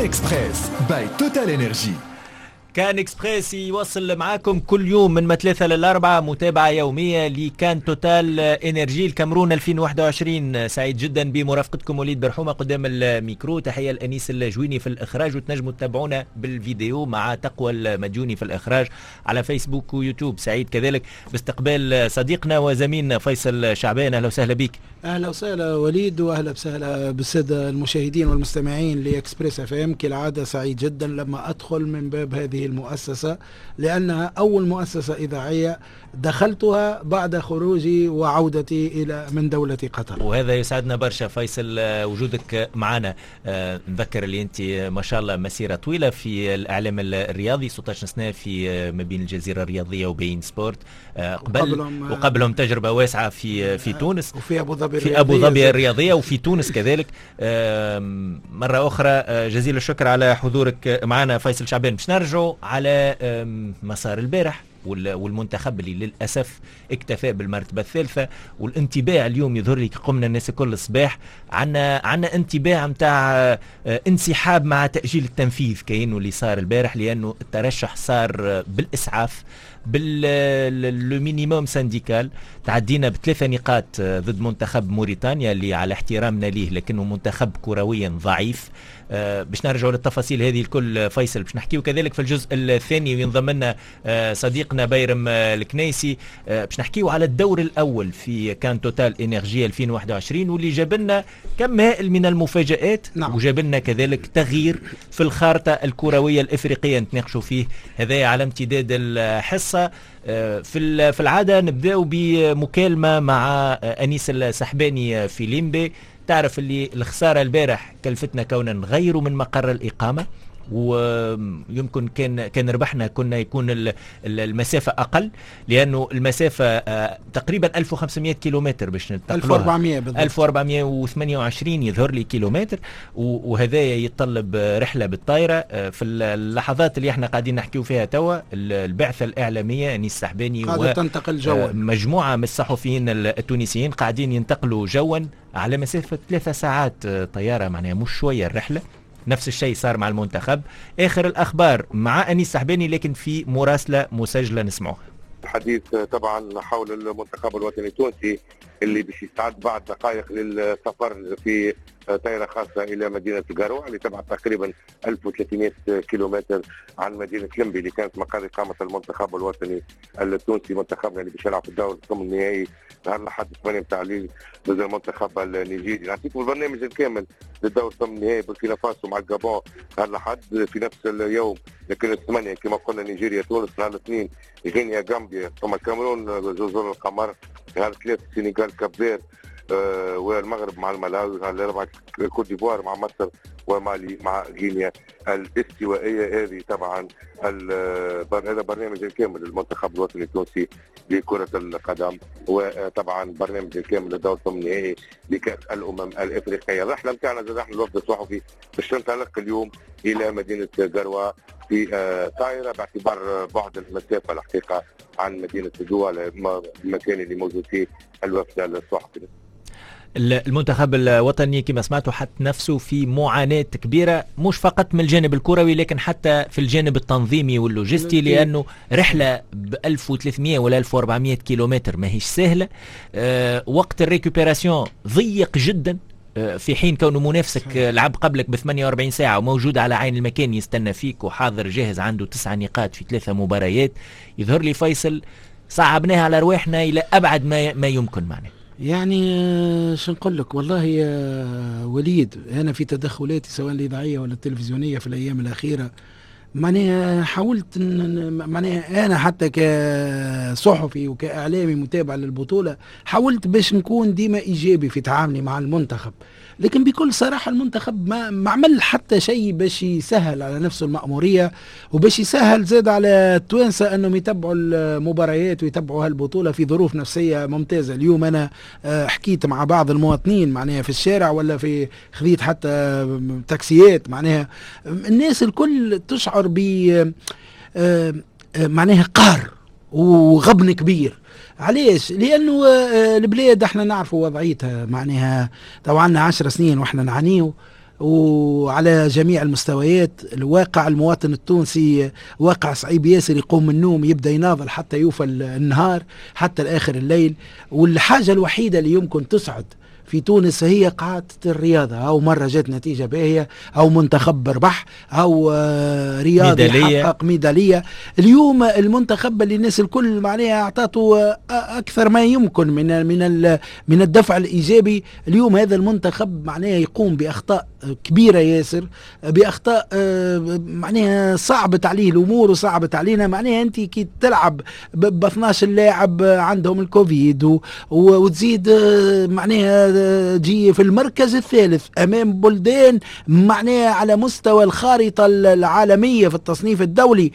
Express by TotalEnergies. CAN Express يوصل معاكم كل يوم من 3 للأربعة، متابعة يومية ل CAN TotalEnergies الكاميرون 2021. سعيد جدا بمرافقتكم وليد برحومة قدام الميكرو، تحية الأنيس الجويني في الإخراج، وتنجموا تتابعونا بالفيديو مع تقوى المديوني في الإخراج على فيسبوك ويوتيوب. سعيد كذلك باستقبال صديقنا وزميلنا فيصل شعبان، أهلا وسهلا بك. اهلا وسهلا وليد، واهلا وسهلا بالساده المشاهدين والمستمعين ل Express FM. كالعادة سعيد جدا لما ادخل من باب هذه المؤسسه، لانها اول مؤسسة اذاعية دخلتها بعد خروجي وعودتي الى من دولة قطر. وهذا يسعدنا برشا فيصل وجودك معنا. نذكر اللي انت ما شاء الله مسيره طويلة في الاعلام الرياضي، 16 سنة في ما بين الجزيرة الرياضية و beIN Sport قبل، وقبلهم تجربه واسعة في تونس وفي ابو ظبي. في ابو ظبي الرياضية وفي تونس كذلك. مرة اخرى جزيل الشكر على حضورك معنا فيصل شعبان. باش نرجعوا على مسار البارح والمنتخب اللي للاسف اكتفى بالمرتبة الثالثه، والانطباع اليوم يظهر لي قمنا الناس الكل الصباح عندنا انطباع نتاع انسحاب مع تاجيل التنفيذ كاينه اللي صار البارح، لانه الترشح صار بالاسعاف بال minimum syndical. تعدينا بثلاثة نقاط ضد منتخب موريتانيا اللي على احترامنا ليه لكنه منتخب كرويا ضعيف. باش نرجعوا للتفاصيل هذه الكل فيصل، باش نحكيو كذلك في الجزء الثاني وينضم لنا صديقنا بيرم الكنيسي، باش نحكيو على الدور الاول في CAN TotalEnergies 2021 واللي جاب لنا كم هائل من المفاجآت. وجاب لنا كذلك تغيير في الخارطة الكروية الافريقية نتناقشوا فيه هذا على امتداد الحصه. في العادة نبداو بمكالمه مع انيس السحباني في ليمبي. تعرف اللي الخسارة البارح كلفتنا كوننا نغيروا من مقر الاقامة، ويمكن كان ربحنا كنا يكون المسافة اقل، لانه المسافة تقريبا 1500 كيلومتر باش ننتقلوها. 1400 بالضبط. 1428 يظهر لي كيلومتر، وهذا يتطلب رحله بالطائرة. في اللحظات اللي احنا قاعدين نحكيو فيها توا البعثة الاعلامية انيس السحباني قاعدة تنتقل جوا، مجموعة من الصحفيين التونسيين قاعدين ينتقلوا جوا على مسافة 3 ساعات طياره، معناها مش شوية الرحله. نفس الشيء صار مع المنتخب. آخر الأخبار مع أنيس سحباني لكن في مراسلة مسجلة نسمعوها. الحديث طبعا حول المنتخب الوطني التونسي اللي باش يستعد بعد دقائق للسفر في طائرة خاصة إلى مدينة قاروا اللي تبعد تقريبا 1300 كيلومتر عن مدينة لمبي اللي كانت مقر إقامة المنتخب الوطني التونسي. منتخبنا اللي باش يلعب في الدور الثمن النهائي نهار الأحد 8 متاع الليل ضد المنتخب النيجيري. نعطيكم البرنامج الكامل للدور الثمن النهائي: بوركينا فاسو مع الجابون نهار الأحد في نفس اليوم، لكن الثمانية كما قلنا نيجيريا تونس، نهار الاثنين غينيا غامبيا، ثم الكاميرون جزر القمر، نهار الثلاث السنغال Cap-Vert، والمغرب مع الملاوي، نهار الاربعاء كوت ديفوار مع مصر، ومالي مع غينيا الاستوائيه. هذه طبعا هذا برنامج الكامل للمنتخب الوطني التونسي لكرة القدم، وطبعا برنامج الكامل للدور الثمن النهائي لكأس الأمم الإفريقية. الرحلة نتاعنا زاد احنا الوفد الصحفي باش تنطلق اليوم إلى مدينة قروا في طائرة، باعتبار بعد المسافة الحقيقة عن مدينة دوالا المكان اللي موجود فيه الوفد الصحفي. المنتخب الوطني كما سمعتوا حط نفسه في معاناة كبيرة، مش فقط من الجانب الكروي لكن حتى في الجانب التنظيمي واللوجستي، لأنه رحلة ب 1300 ولا 1400 كيلومتر ماهيش سهلة. وقت ال récupération ضيق جدا، في حين كونه منافسك لعب قبلك ب 48 ساعة وموجود على عين المكان يستنى فيك وحاضر جاهز، عنده 9 نقاط في ثلاثة مباريات. يظهر لي فيصل صعبناها على رواحنا إلى أبعد ما يمكن معناه. يعني شو نقول لك والله يا وليد، انا في تدخلاتي سواء الاذاعية ولا التلفزيونية في الايام الاخيرة معناها حاولت معناها انا حتى كصحفي وكاعلامي متابع للبطولة حاولت باش نكون ديما ايجابي في تعاملي مع المنتخب، لكن بكل صراحة المنتخب ما عمل حتى شيء باش يسهل على نفسه المأمورية وباش يسهل زاد على التوانسة انهم يتبعوا المباريات ويتبعوا هالبطولة في ظروف نفسية ممتازة. اليوم انا حكيت مع بعض المواطنين معناها في الشارع ولا في خذيت حتى تاكسيات، معناها الناس الكل تشعر ب معناها قهر وغبن كبير. علاش؟ لانه البلاد احنا نعرفوا وضعيتها، معناها تو عندنا 10 سنين واحنا نعانيو. وعلى جميع المستويات. الواقع المواطن التونسي واقع صعيب ياسر، يقوم من النوم يبدا يناضل حتى يوفى النهار حتى الآخر الليل. والحاجة الوحيدة اللي يمكن تسعد في تونس هي قاعدة الرياضة، أو مرة جات نتيجة باهية، أو منتخب ربح، أو رياضي حقق ميدالية. اليوم المنتخب اللي الناس الكل معناها أعطاته أكثر ما يمكن من من من الدفع الإيجابي، اليوم هذا المنتخب معناها يقوم بأخطاء كبيرة ياسر، بأخطاء معناها صعبت عليه الأمور وصعبت علينا. معناها أنت كي تلعب ب 12 لاعب عندهم الكوفيد وتزيد معناها تجي في المركز الثالث أمام بلدان معناها على مستوى الخارطة العالمية في التصنيف الدولي،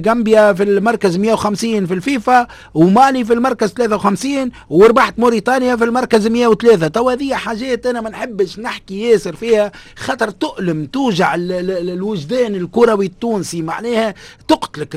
غامبيا في المركز 150 في الفيفا، ومالي في المركز 53، وربحت موريتانيا في المركز 103. تو هذه حاجات أنا ما نحبش نحكي ياسر فيها، خاطر تؤلم، توجع الوجدان الكروي التونسي، معناها تقتلك،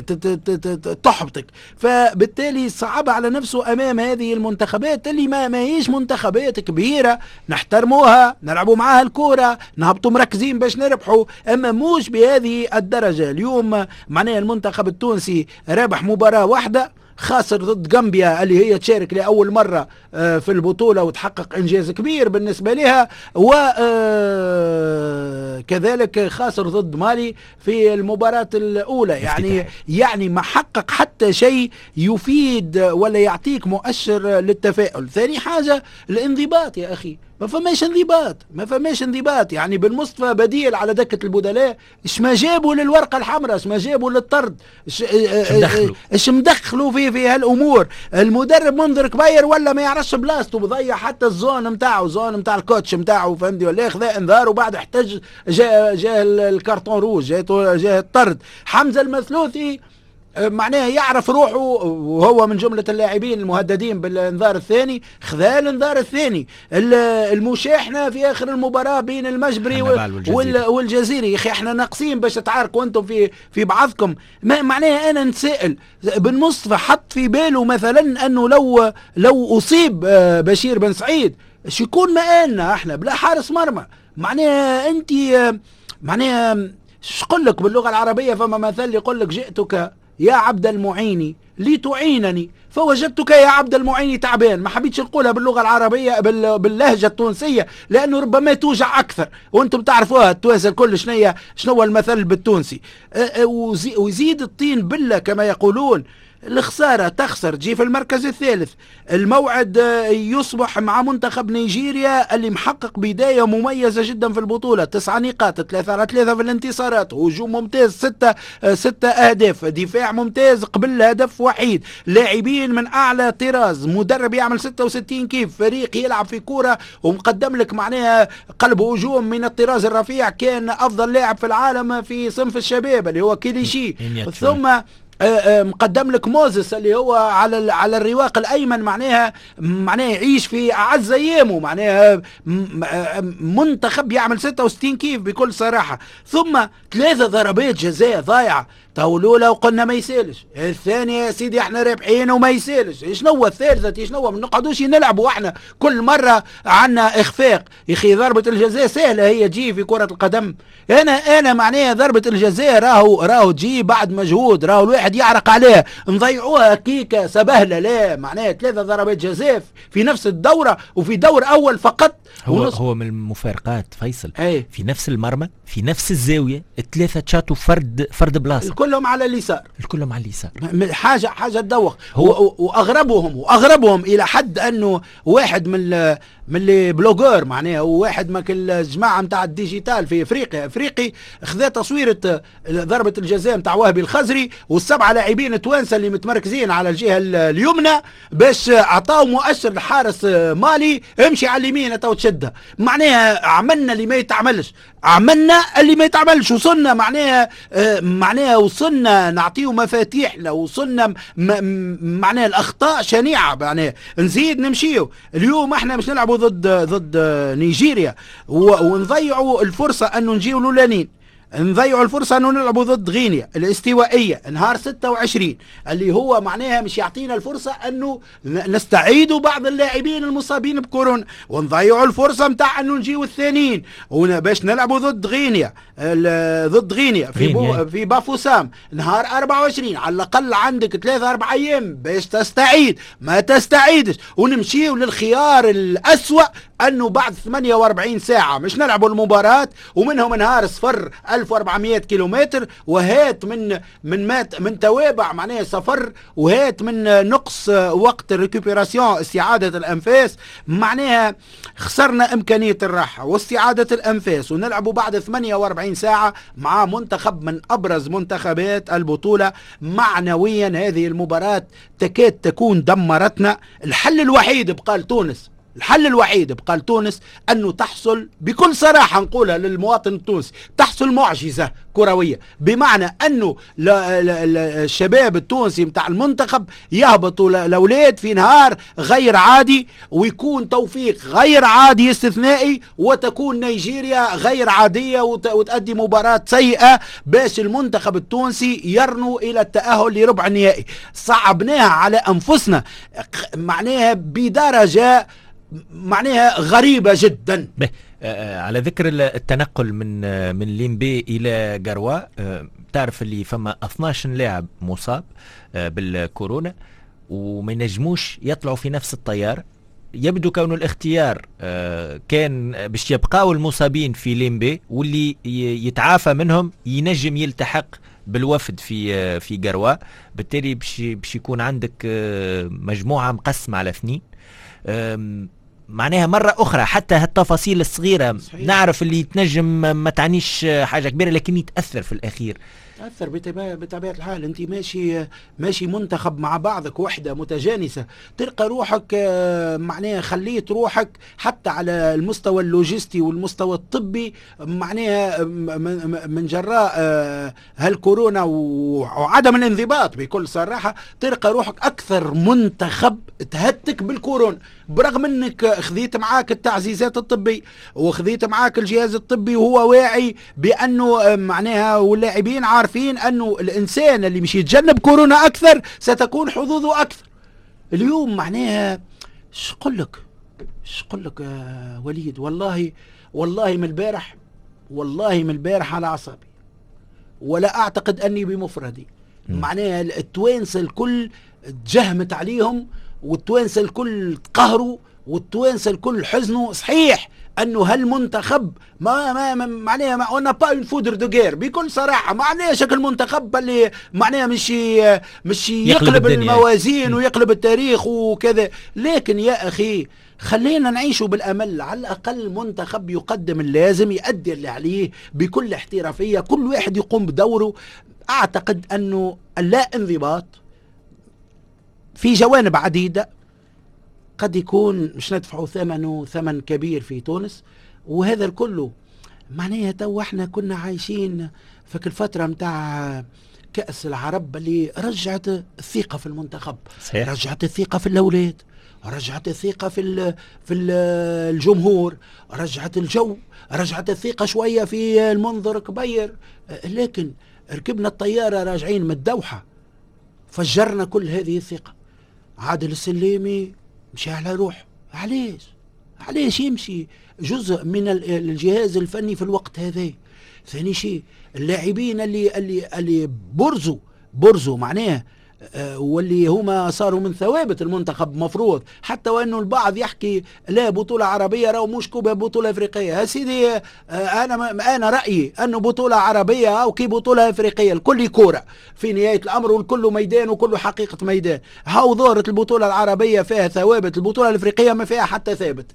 تحبطك. فبالتالي صعب على نفسه أمام هذه المنتخبات اللي ما هيش منتخبات كبيرة نحترموها، نلعبوا معاها الكورة، نهبطوا مركزين باش نربحوا، أما موش بهذه الدرجة. اليوم معناها المنتخب التونسي رابح مباراة واحدة، خاسر ضد غامبيا اللي هي تشارك لأول مرة في البطولة وتحقق إنجاز كبير بالنسبة لها، وكذلك خاسر ضد مالي في المباراة الأولى. يعني ما حقق حتى شيء يفيد ولا يعطيك مؤشر للتفاؤل. ثاني حاجة الانضباط يا أخي، ما فماش انضباط، ما فماش انضباط. يعني بن مصطفى بديل على دكة البدلاء، اش ما جابوا للورقة الحمراء، اش ما جابوا للطرد، اش مدخلوا في هالامور. المدرب منذر كبير ولا ما يعرفش بلاصته، بضيع حتى ال zone نتاعو، zone نتاع ال coach نتاعو، فهمتي ولا؟ خذا انذار وبعد احتج، جاء ال carton rouge، جاء الطرد. حمزة المثلوثي معناها يعرف روحه وهو من جملة اللاعبين المهددين بالانذار الثاني، خذا الانذار الثاني. المشاحنة في آخر المباراة بين المجبري والجزيري، يا أخي احنا ناقصين باش تتعاركوا انتم في بعضكم. معناها أنا نتسائل، بن مصطفى حط في باله مثلا أنه لو أصيب بشير بن سعيد اش يكون مآلنا احنا بلا حارس مرمى؟ معناها أنت معناها شقول لك باللغة العربية فما مثل يقول لك جئتك يا عبد المعين لتعينني فوجدتك يا عبد المعين تعبان. ما حبيتش نقولها باللغة العربية باللهجة التونسية لأنه ربما توجع أكثر، وأنتم تعرفوها التوانسة الكل شنو المثل بالتونسي. ويزيد الطين بلة كما يقولون. الخسارة تخسر، تجي في المركز الثالث. الموعد يصبح مع منتخب نيجيريا اللي محقق بداية مميزة جدا في البطولة، 9 نقاط، 3-3 في الانتصارات، هجوم ممتاز، 6 أهداف، دفاع ممتاز قبل هدف وحيد، لاعبين من أعلى طراز، مدرب يعمل 66 كيف، فريق يلعب في كورة ومقدم لك معناها قلب هجوم من الطراز الرفيع، كان أفضل لاعب في العالم في صنف الشباب اللي هو كيليشي، ثم مقدم لك موزس اللي هو على الرواق الايمن، معناها يعيش في اعز ايامه، معناها منتخب يعمل 66 كيف بكل صراحة. ثم 3 ضربات جزاء ضايعة، تو الاولى وقلنا ما يسالش، الثانية يا سيدي احنا رابحين وما يسالش، شنو الثالثة شنو؟ ما نقعدوش نلعبوا احنا كل مرة عندنا اخفاق. يا اخي ضربه الجزاء سهلة هي تجي في كره القدم، انا معناها ضربه الجزاء راهو تجي بعد مجهود، راهو الواحد يعرق عليها، نضيعوها كيكة سبهله؟ لا، معناها 3 ضربات جزاء في نفس الدورة وفي دور اول فقط. هو من المفارقات فيصل، أي. في نفس المرمى في نفس الزاوية 3 تشاتو فرد بلاصة، كلهم على اليسار، الكلهم على اليسار، حاجة تدوخ. واغربهم الى حد انه واحد من les blogueurs معناها، وواحد من الجماعة نتاع ال digital في افريقيا خذا تصويره ضربه الجزاء نتاع وهبي الخزري وال7 لاعبين توانسة اللي متمركزين على الجهة اليمنى باش عطاو مؤشر لحارس مالي امشي على اليمين تو تشدها. معناها عملنا اللي ما يتعملش، عملنا اللي ما يتعملش، وصلنا معناها وصلنا نعطيه مفاتيحنا، وصلنا معناها الاخطاء شنيعه، معناها نزيد نمشيو. اليوم احنا مش نلعبوا ضد نيجيريا ونضيعوا الفرصة انه نجيو الاولانيين. نضيعوا الفرصة انه نلعبوا ضد غينيا الاستوائيه نهار 26 اللي هو معناها مش يعطينا الفرصة انه نستعيدوا بعض اللاعبين المصابين بكورونا، ونضيعوا الفرصة نتاع انه نجيو الثانيين باش نلعبوا ضد غينيا، ضد غينيا في بافوسام نهار 24. على الاقل عندك 3-4 ايام باش تستعيد، ما تستعيدش، ونمشيو للخيار الاسوأ انه بعد 48 ساعة مش نلعبوا المباراة، ومنهم نهار صفر 1400 كيلومتر، وهات من من مات من توابع معناها سفر، وهات من نقص وقت ال récupération استعادة الانفاس، معناها خسرنا امكانية الراحة واستعادة الانفاس، ونلعبوا بعد 48 ساعة مع منتخب من ابرز منتخبات البطولة معنويا. هذه المباراة تكاد تكون دمرتنا. الحل الوحيد بقى لتونس، الحل الوحيد بقى لتونس أنه تحصل بكل صراحة نقولها للمواطن التونسي، تحصل معجزة كروية، بمعنى أنه الشباب التونسي متاع المنتخب يهبطوا الأولاد في نهار غير عادي، ويكون توفيق غير عادي استثنائي، وتكون نيجيريا غير عادية وتؤدي مباراة سيئة باش المنتخب التونسي يرنو إلى التأهل لربع النهائي. صعبناها على أنفسنا معناها بدرجة معناها غريبة جدا. على ذكر التنقل من ليمبي إلى غاروا، تعرف اللي فما 12 لاعب مصاب بالكورونا وما ينجموش يطلعوا في نفس الطيارة. يبدو كون الاختيار كان باش يبقاو المصابين في ليمبي، واللي يتعافى منهم ينجم يلتحق بالوفد في غاروا، بالتالي باش يكون عندك مجموعة مقسمة على 2. معناها مرة أخرى حتى هالتفاصيل الصغيرة صحيح. نعرف اللي تنجم ما تعنيش حاجة كبيرة لكن يتأثر في الأخير. تأثر بطبيعة الحال. أنت ماشي منتخب مع بعضك، وحدة متجانسة، تلقى روحك معناها خليت روحك حتى على المستوى اللوجستي والمستوى الطبي معناها من جراء هالكورونا وعدم الانضباط بكل صراحة، تلقى روحك أكثر منتخب تهتك بالكورونا، برغم أنك خذيت معاك التعزيزات الطبية وخذيت معاك الجهاز الطبي وهو واعي بأنه معناها، واللاعبين عارفين أنه الإنسان اللي مش يتجنب كورونا أكثر ستكون حظوظه أكثر. اليوم معناها شقول لك وليد، والله والله من البارح، والله من البارح على أعصابي، ولا أعتقد أني بمفردي. معناها التوانسة الكل تجهمت عليهم، والتوانسة الكل تقهروا، والتوانسة الكل حزنوا. صحيح انه هالمنتخب ما معناها on n'a pas une foudre de guerre بكل صراحة، معناها شكل المنتخب اللي معناها مش يقلب الموازين ويقلب التاريخ وكذا، لكن يا اخي خلينا نعيشوا بالامل. على الاقل منتخب يقدم اللازم، يؤدي اللي عليه بكل احترافية، كل واحد يقوم بدوره. اعتقد انه اللا انضباط في جوانب عديدة قد يكون مش ندفعوا ثمنه ثمن كبير في تونس، وهذا الكل معناها تو احنا كنا عايشين في الفترة متاع كأس العرب اللي رجعت الثقة في المنتخب، صحيح. رجعت الثقة في الأولاد، رجعت الثقة في الجمهور، رجعت الجو، رجعت الثقة شوية في المنظر كبير. لكن ركبنا الطيارة راجعين من الدوحة فجرنا كل هذه الثقة. عادل السليمي مشى على روحه، علاش يمشي جزء من الجهاز الفني في الوقت هذا؟ ثاني شيء اللاعبين اللي اللي اللي برزوا معناه واللي هما صاروا من ثوابت المنتخب مفروض، حتى وانه البعض يحكي لا بطولة عربية راهو مش كوبا بطولة افريقية. يا سيدي انا رأيي انه بطولة عربية او كي بطولة افريقية الكل كورة في نهاية الامر، والكل ميدان وكل حقيقة ميدان. هاو ظهرت البطولة العربية فيها ثوابت، البطولة الافريقية ما فيها حتى ثابت.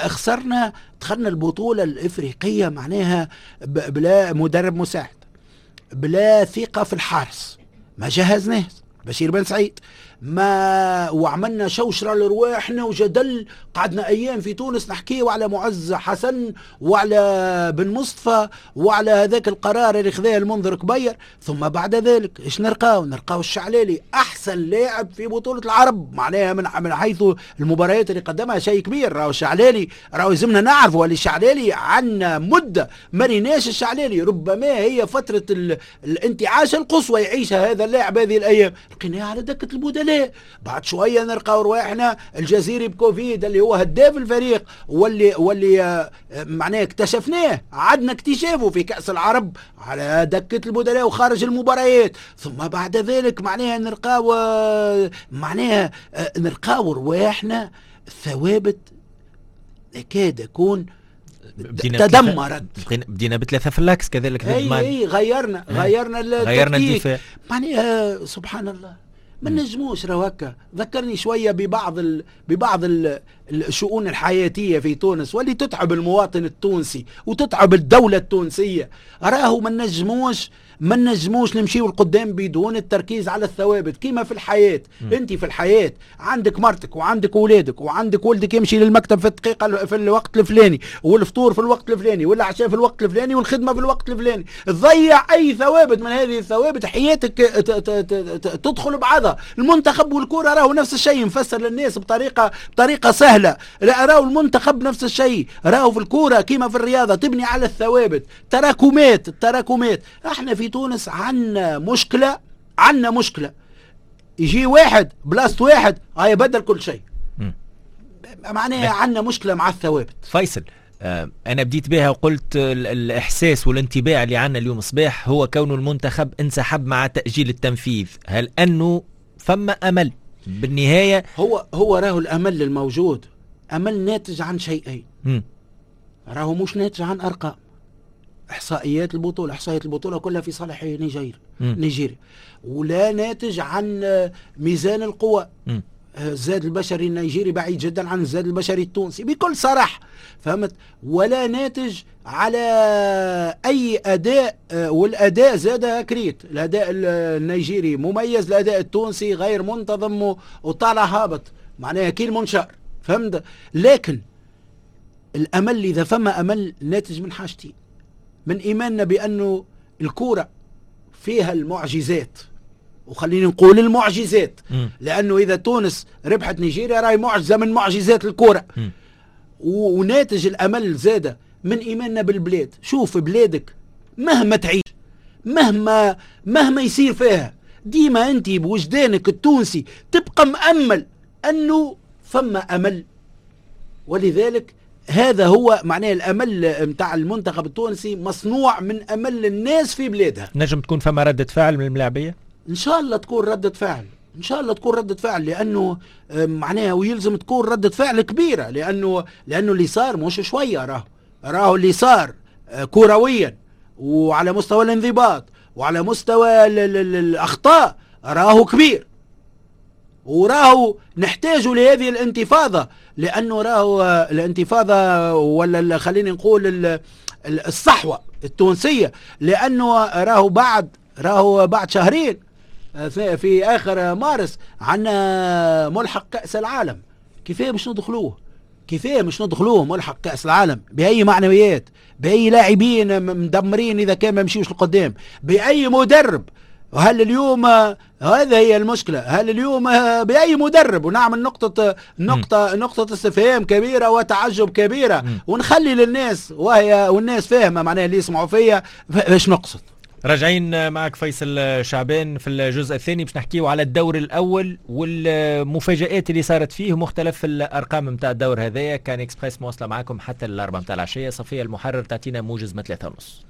خسرنا، دخلنا البطولة الافريقية معناها بلا مدرب مساعد، بلا ثقة في الحارس، ما جهزناش بشير بن سعيد، ما وعملنا شوشرة لرواحنا وجدل، قعدنا ايام في تونس نحكيو على معز حسن وعلى بن مصطفى وعلى هذاك القرار اللي خذاه المنذر كبير. ثم بعد ذلك ايش نلقاو؟ نلقاو الشعلالي احسن لاعب في بطوله العرب، معناها من حيث المباريات اللي قدمها شيء كبير. راهو الشعلالي، راهو يلزمنا نعرفوا اللي الشعلالي عندنا مده ما ريناش الشعلالي، ربما هي فترة الانتعاش القصوى يعيشها هذا اللاعب هذه الايام، لقيناه على دكه البدلاء. بعد شوية نلقاو رواحنا الجزيري بكوفيد اللي هو هداف الفريق واللي معناه اكتشفناه، عدنا اكتشافه في كأس العرب على دكة البدلاء وخارج المباريات. ثم بعد ذلك معناها نلقاو رواحنا الثوابت تكاد يكون تدمرت. بدينا بثلاثة في l'axe كذلك. اي غيرنا التكتيك، معناها سبحان الله ما نجموش راهو هكا. ذكرني شوية ببعض الشؤون الحياتية في تونس واللي تتعب المواطن التونسي وتتعب الدولة التونسية. راهو ما نجموش نمشيو لقدام بدون التركيز على الثوابت. كيما في الحياة، انت في الحياة عندك مرتك وعندك اولادك وعندك ولدك يمشي للمكتب في الدقيقة في الوقت الفلاني، والفطور في الوقت الفلاني، والعشاء في الوقت الفلاني، والخدمة في الوقت الفلاني. تضيع اي ثوابت من هذه الثوابت حياتك تدخل بعضها. المنتخب والكرة راهو نفس الشيء، نفسر للناس بطريقة سهلة. لا، راهو المنتخب نفس الشيء، راهو في الكرة كيما في الرياضة تبني على الثوابت، تراكمات التراكمات. احنا في تونس عندنا مشكلة، يجي واحد بلاصة واحد يبدل كل شيء. معناها عندنا مشكلة مع الثوابت. فيصل، أنا بديت بها وقلت الإحساس والانطباع اللي عندنا اليوم صباح هو كون المنتخب انسحب مع تأجيل التنفيذ. هل أنه فما أمل بالنهاية؟ هو راهو الأمل الموجود أمل ناتج عن شيئين، راهو مش ناتج عن أرقام. إحصائيات البطولة كلها في صالح نيجيريا، ولا ناتج عن ميزان القوى. الزاد البشري النيجيري بعيد جدا عن الزاد البشري التونسي بكل صراحة، فهمت؟ ولا ناتج على أي أداء، والأداء زاد كريت. الأداء النيجيري مميز، الأداء التونسي غير منتظم وطالع هابط، معناها كي المنشار، فهمت؟ لكن الأمل إذا فما أمل ناتج من حاجتين: من إيماننا بأنه الكورة فيها المعجزات، وخليني نقول المعجزات، لأنه إذا تونس ربحت نيجيريا راهي معجزة من معجزات الكورة. وناتج الأمل زادة من إيماننا بالبلاد. شوف بلادك مهما تعيش، مهما يصير فيها، ديما أنت بوجدانك التونسي تبقى مأمل أنه فما أمل. ولذلك هذا هو معناه الأمل متاع المنتخب التونسي، مصنوع من أمل الناس في بلادها. نجم تكون فما ردة فعل من الملاعبية؟ إن شاء الله تكون ردة فعل، إن شاء الله تكون ردة فعل، لأنه معناها ويلزم تكون ردة فعل كبيرة، لأنه اللي صار مش شوية. راهو اللي صار كرويا وعلى مستوى الانضباط وعلى مستوى الأخطاء راهو كبير، وراهو نحتاج لهذه الانتفاضة، لأنه راهو الانتفاضة ولا خليني نقول الصحوة التونسية، لأنه راهو بعد شهرين في آخر مارس عنا ملحق كأس العالم. كيفاه مش ندخلوه؟ كيفاه مش ندخلوه ملحق كأس العالم؟ بأي معنويات؟ بأي لاعبين مدمرين إذا كان ما مشيوش لقدام؟ بأي مدرب؟ وهل اليوم هذا هي المشكلة؟ هل اليوم بأي مدرب؟ ونعمل نقطة نقطة نقطة استفهام كبيرة وتعجب كبيرة، ونخلي للناس وهي والناس فاهمة معناها اللي يسمعوا فيا باش نقصد. راجعين معك فيصل شعبان في الجزء الثاني باش نحكيو على الدور الأول والمفاجآت اللي صارت فيه ومختلف الأرقام نتاع الدور هذايا. كان اكسبريس مواصلة معكم حتى 4 نتاع العشية. صفية المحرر تعطينا موجز ما 3:30.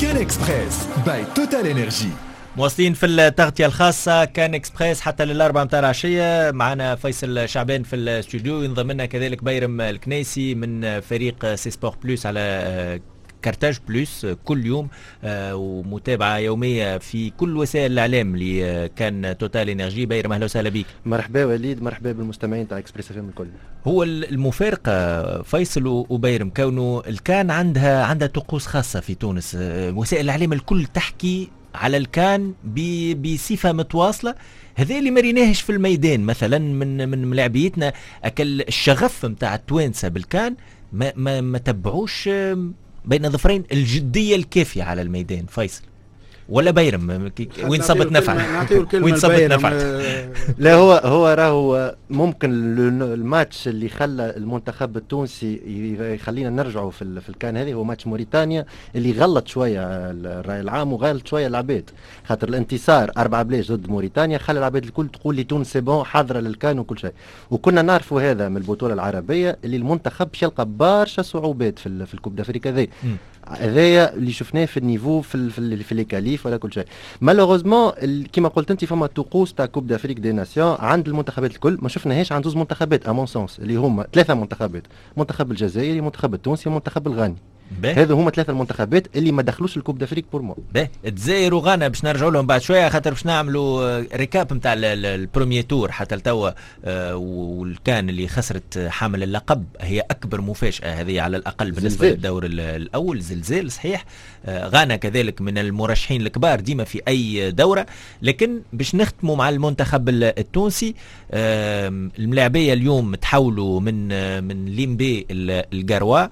CAN Express by TotalEnergies. مواصلين في التغطية الخاصة كان اكسبريس حتى 4 متاع العشية. معنا فيصل شعبان في الاستوديو، ينضم لنا كذلك بيرم الكنيسي من فريق C Sport Plus على كارتاج بلوس كل يوم، ومتابعة يومية في كل وسائل الاعلام اللي كان توتال انرجي. بيرم اهلا وسهلا بك. مرحبا وليد، مرحبا بالمستمعين تاع اكسبريس اف ام الكل. هو المفارقة فيصل وبيرم كونه الكان عندها طقوس خاصة في تونس، وسائل الاعلام الكل تحكي على الكان بصفة متواصلة، هذا اللي ما ريناهش في الميدان مثلا من ملاعبيتنا. اكل الشغف نتاع التوانسة بالكان ما ما, ما تبعوش بين ظفرين الجدية الكافيه على الميدان. فيصل ولا بيرم وين صبت نفع؟ وين صبت نفع؟ لا هو راهو ممكن الماتش اللي خلى المنتخب التونسي يخلينا نرجعوا في الكان هذه هو ماتش موريتانيا اللي غلط شوية الراي العام وغلط شوية العباد، خاطر الانتصار 4-0 ضد موريتانيا خلى العباد الكل تقول لي تونس c'est bon حاضره للكان وكل شيء، وكنا نعرفوا هذا من البطولة العربية اللي المنتخب باش يلقى برشا صعوبات في ال Coupe d'Afrique هذه. هذايا اللي شفناه في ال niveau في les qualifs ولا كل شيء. malheureusement كيما قلت انت فما طقوس تاع Coupe d'Afrique des Nations عند المنتخبات الكل ما شفناهاش عند زوز منتخبات à mon sens، اللي هما ثلاثة منتخبات، المنتخب الجزائري، المنتخب التونسي، والمنتخب الغاني. هذو هما ثلاثة المنتخبات اللي ما دخلوش ال Coupe d'Afrique pour moi. باهي، الجزائر وغانا باش نرجعوا لهم بعد شوية خاطر باش نعملوا récap نتاع ال premier tour حتى لتوا، والكان اللي خسرت حامل اللقب هي اكبر مفاجاة هذه على الاقل بالنسبة للدور الاول، زلزال صحيح. غانا كذلك من المرشحين الكبار ديما في اي دوره، لكن باش نختموا مع المنتخب التونسي. الملاعبيه اليوم تحولوا من ليمبي القروا.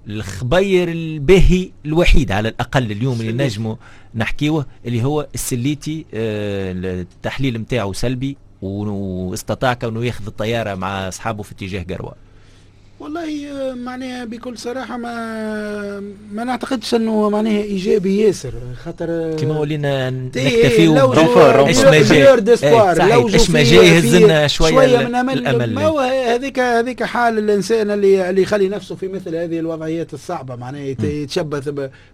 الخبير الباهي الوحيد على الأقل اليوم اللي نجمه نحكيوه اللي هو السليتي، التحليل متاعه سلبي واستطاع كونه ياخذ الطيارة مع أصحابه في اتجاه قروة. والله معناها بكل صراحة ما نعتقدش انه معناها ايجابي ياسر، خاطر كيما ولينا نكتفيو ايش ما جاي، ايش ما جاي يهزنا شوية من الامل. ما هو هذيك حال الانسان اللي يخلي نفسه في مثل هذه الوضعيات الصعبة، معناها يتشبث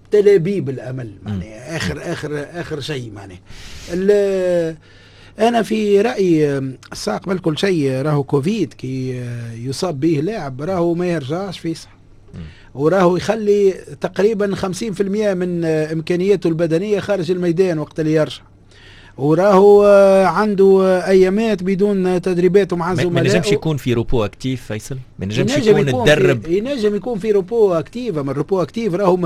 بتلابيب الامل، معناها اخر اخر اخر شيء. معناها أنا في رأيي الساعة قبل كل شيء راهو كوفيد كي يصاب به لاعب راهو ما يرجعش في صح، وراهو يخلي تقريبا 50% من إمكانياته البدنية خارج الميدان وقت اللي يرجع، وراهو عنده ايامات بدون تدريبات مع زملائه. ما نجمش يكون في repos actif فيصل، ما نجمش يكون تدرب، ينجم يكون في repos actif، اما ال repos actif راهو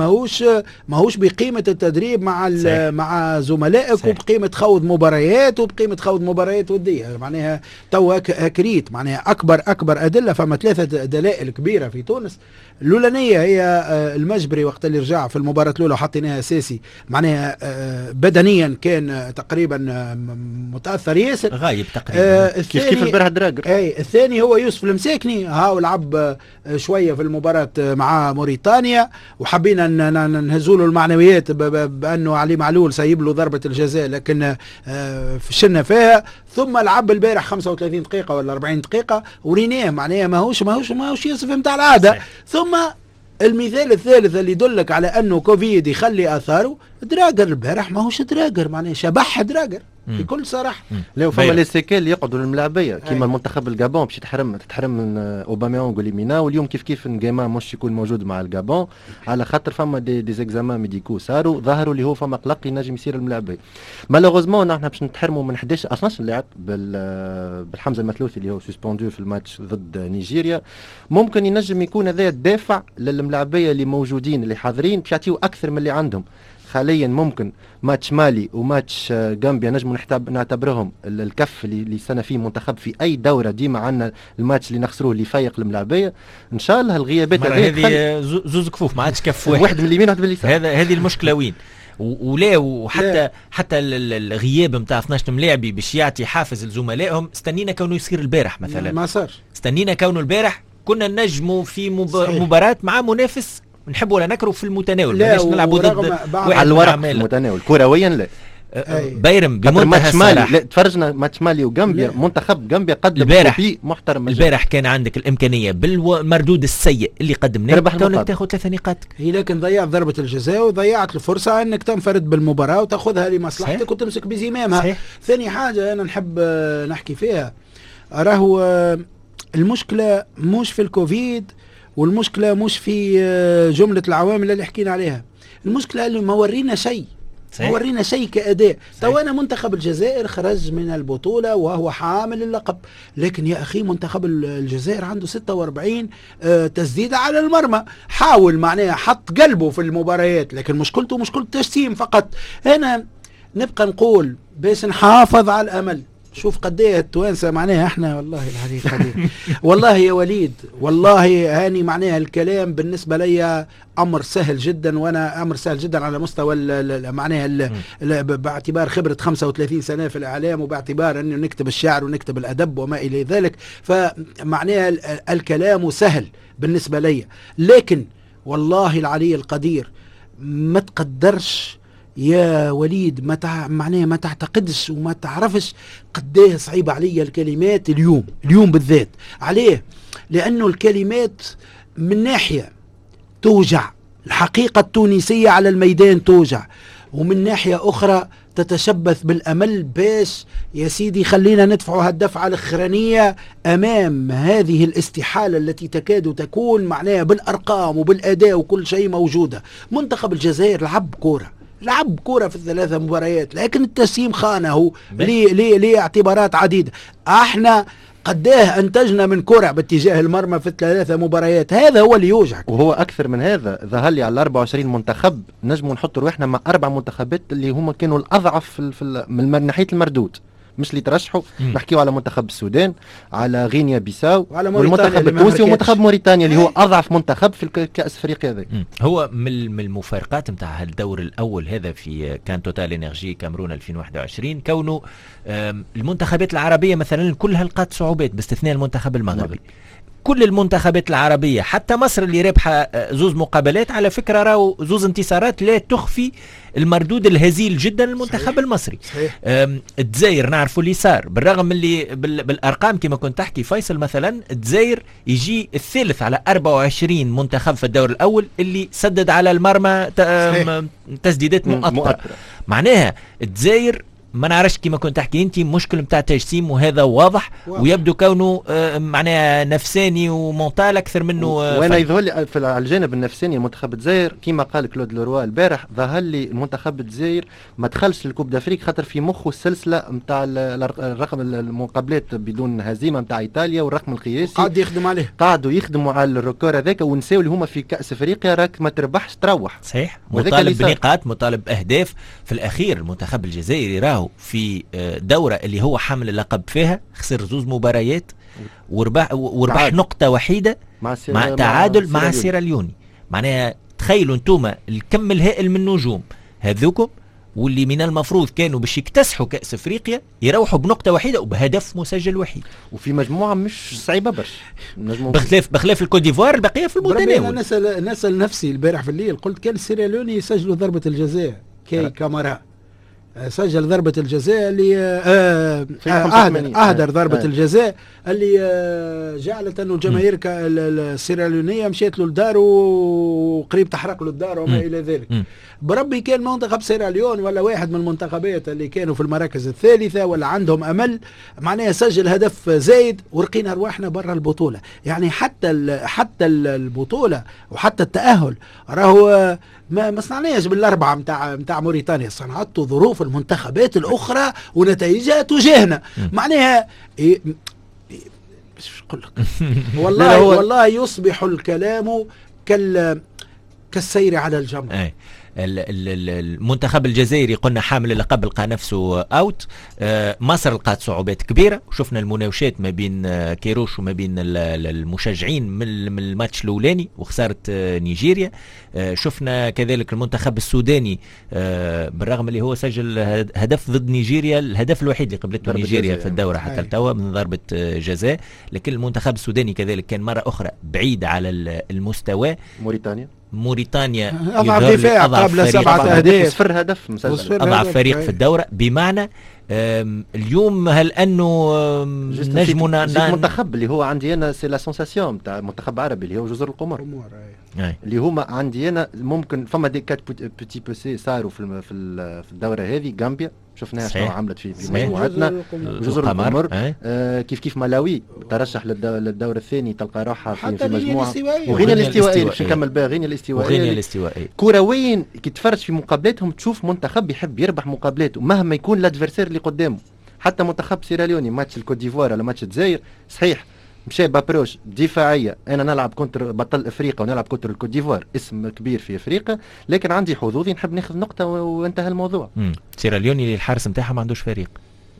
ماهوش بقيمة التدريب مع مع زملائك، وبقيمه خوض مباريات، وبقيمه خوض مباريات وديه. معناها توا كريت معناها اكبر ادلة، فما ثلاثة دلائل كبيرة في تونس. الاولانية هي المجبري وقت اللي رجع في المباراة الاولى وحطيناها اساسي، معناها بدنيا كان تقريبا متاثر ياسر، غايب تقريبا. كيف البارح دراجر. اي الثاني هو يوسف المساكني، هاو لعب شوية في المباراة مع موريتانيا وحبينا نهزوا له المعنويات بانه علي معلول سايب له ضربه الجزاء، لكن فشلنا فيها. ثم لعب البارح 35 دقيقة ولا 40 دقيقة وريناه معناها ماهوش يوسف نتاع العادة. ثم المثال الثالث اللي يدلك على انه كوفيد يخلي اثاره، دراجر البارح ماهوش دراجر، معناه شبح دراجر بكل صراحة. لا فما les séquelles يقعدوا للملاعبيه كيما المنتخب الجابون باش تتحرم من اوباميونغ وليمينا، واليوم كيف نجيما مش يكون موجود مع الجابون على خاطر فما des examens médicaux صاروا ظهروا اللي هو فما قلق ينجم يصير الملاعبيه. malheureusement نحن باش نتحرموا من 11 12 لاعب بالحمزه المثلوثي اللي هو suspendu في الماتش ضد نيجيريا. ممكن ينجم يكون هذا الدافع للملاعبيه اللي موجودين اللي حاضرين باش يعطيو اكثر من اللي عندهم حاليا. ممكن ماتش مالي وماتش غامبيا نجم نعتبرهم الكف اللي سنة فيه منتخب في اي دوره، ديما عندنا الماتش اللي نخسروه اللي يفيق الملاعبيه. ان شاء الله الغيابات هذه زوز كفوف ما عادش كف واحد، واحد من اليمين واحد من اليسار. هذه المشكلة وين ولا، وحتى حتى الغياب نتاع 12 ملاعبي باش يعطي حافز لزملائهم. استنينا كونه يصير البارح مثلا، ما صار. استنينا كونه البارح كنا نجموا في مباراة مع منافس نحب ولا نكره في المتناول، ماناش نلعبوا ضد واحد على الورق في المتناول كرويا. لا بيرم بمنتهى الصراحة، لا تفرجنا ماتش مالي وغامبيا، منتخب غامبيا قدم copie محترم. البارح كان عندك الامكانية بالمردود السيء اللي قدمناه كونك تاخذ 3 نقاط هي، لكن ضيعت ضربه الجزاء وضيعت الفرصة انك تنفرد بالمباراة وتاخذها لمصلحتك. صحيح. وتمسك بزمامها. صحيح. ثاني حاجة انا نحب نحكي فيها، راهو المشكلة مش في الكوفيد والمشكلة مش في جملة العوامل اللي حكينا عليها، المشكلة اللي ما ورينا شيء، ما ورينا شيء كأداء. تو أنا منتخب الجزائر خرج من البطولة وهو حامل اللقب، لكن يا أخي منتخب الجزائر عنده 46 تسديدة على المرمى، حاول معناها حط قلبه في المباريات، لكن مشكلته مشكلة تجسيم فقط. أنا نبقى نقول باش نحافظ على الأمل. شوف قد ايه التوانسة معناها احنا والله العلي القدير والله يا وليد، والله هاني معناها الكلام بالنسبة لي امر سهل جدا، وانا امر سهل جدا على مستوى معناها باعتبار خبره 35 سنة في الاعلام، وباعتبار انه نكتب الشعر ونكتب الادب وما الى ذلك، فمعناها الكلام سهل بالنسبة لي، لكن والله العلي القدير ما تقدرش يا وليد، ما معناها ما تعتقدش وما تعرفش قديه صعيبة عليا الكلمات اليوم، اليوم بالذات. عليه؟ لأنه الكلمات من ناحية توجع، الحقيقة التونسية على الميدان توجع، ومن ناحية أخرى تتشبث بالأمل باش يا سيدي خلينا ندفعوا هالدفعة الأخرانية أمام هذه الاستحالة التي تكاد تكون معناها بالأرقام وبالأداء وكل شيء موجودة. منتخب الجزائر لعب كورة، لعب كرة في الثلاثة مباريات، لكن التسليم خانه لاعتبارات عديدة. احنا قداه انتجنا من كرة باتجاه المرمى في الثلاثة مباريات، هذا هو اللي يوجعك. وهو اكثر من هذا، ظهر لي على 24 منتخب نجموا نحط رواحنا مع 4 منتخبات اللي هما كانوا الاضعف في من ناحية المردود، مش اللي ترشحوا. نحكيو على منتخب السودان، على غينيا بيساو، والمنتخب التونسي، ومنتخب موريتانيا اللي هو اضعف منتخب في كاس افريقيا هذا. هو من المفارقات نتاع الدور الاول هذا في كان توتال انرجي كاميرون 2021، كونه المنتخبات العربية مثلا كلها لقات صعوبات باستثناء المنتخب المغربي. كل المنتخبات العربية حتى مصر اللي رابحة زوز مقابلات على فكرة، راهو زوز انتصارات لا تخفي المردود الهزيل جدا للمنتخب المصري. الجزائر نعرفوا اللي صار، بالرغم اللي بالارقام كما كنت تحكي فيصل، مثلا الجزائر يجي الثالث على 24 منتخب في الدور الاول اللي سدد على المرمى تسديدات مؤطرة. معناها الجزائر ما نعرفش كما كنت تحكي انت مشكل نتاع تجسيم، وهذا واضح ويبدو كونه معناها نفساني و mental اكثر منه. وانا يظهر لي على الجانب النفساني المنتخب الجزائر كما قال كلود لوروا البارح، ظهر لي المنتخب الجزائر ما دخلش لل Coupe d'Afrique خاطر في مخه السلسلة نتاع الرقم المقابلات بدون هزيمة نتاع ايطاليا والرقم القياسي قاعد يخدم عليه، قعدوا يخدموا على ال record هذاك ونساو اللي هما في كاس افريقيا راك ما تربحش تروح. صحيح، مطالب بنقاط، مطالب باهداف. في الاخير المنتخب الجزائري راهو في دورة اللي هو حامل اللقب فيها خسر زوز مباريات وربح نقطة وحيدة مع تعادل مع سيراليوني. معناها تخيلوا انتوما الكم الهائل من النجوم هذوكم واللي من المفروض كانوا باش يكتسحوا كأس افريقيا يروحوا بنقطة وحيدة وبهدف مسجل وحيد، وفي مجموعة مش صعيبة برشا بخلاف الكوت ديفوار البقية في المتناول. انا نسأل نفسي البارح في الليل، قلت كان سيراليوني يسجلوا ضربة الجزاء كي كامارا سجل ضربة الجزاء اللي أهدر ضربة الجزاء اللي جعلت أنه الجماهير السيراليونية مشيت له الدار وقريب تحرق له الدار وما إلى ذلك. بربي كان منتخب سيراليون ولا واحد من المنتخبات اللي كانوا في المراكز الثالثة ولا عندهم أمل معناها سجل هدف زايد ورقينا أرواحنا برا البطولة. يعني حتى البطولة وحتى التأهل راهو ما صنعناش بالأربعة متاع موريتانيا، صنعته ظروف المنتخبات الأخرى ونتائجها تجاهنا. معناها إيه نقول لك والله والله يصبح الكلام كالسير على الجمر. المنتخب الجزائري قلنا حامل اللقب لقى نفسه out. مصر لقات صعوبات كبيرة، وشفنا المناوشات ما بين كيروش وما بين المشجعين من الماتش الاولاني وخسارة نيجيريا. شفنا كذلك المنتخب السوداني بالرغم اللي هو سجل هدف ضد نيجيريا، الهدف الوحيد اللي قبلته نيجيريا في الدورة حتى التوا من ضربه جزاء، لكن المنتخب السوداني كذلك كان مرة اخرى بعيد على المستوى. موريتانيا أضعف دفاع قبل 7 أهداف، 0 هدف مسجل، أضعف فريق في الدورة. بمعنى اليوم هل أنه نجمنا المنتخب اللي هو عندي أنا c'est la sensation تاع منتخب عربي اللي هو جزر القمر، اللي هما عندي أنا ممكن فما des quatre petits poucets صاروا في الدورة هذه، غامبيا شفناها شنو عملت في مجموعتنا جزر القمر. كيف ملاوي ترشح للدور الثاني، تلقى روحها في مجموعة. وغينيا الاستوائيه باش نكمل بها، غينيا الاستوائيه كرويا كي تفرج في مقابلاتهم تشوف منتخب يحب يربح مقابلاته مهما يكون l'adversaire اللي قدامه. حتى منتخب سيراليوني ماتش الكوت ديفوار ولا ماتش الجزائر صحيح مشى ب approche دفاعية، انا نلعب contre بطل افريقيا ونلعب contre الكوت ديفوار اسم كبير في افريقيا، لكن عندي حظوظي نحب ناخذ نقطة وانتهى الموضوع. سيراليوني اللي الحارس نتاعها ما عندوش فريق،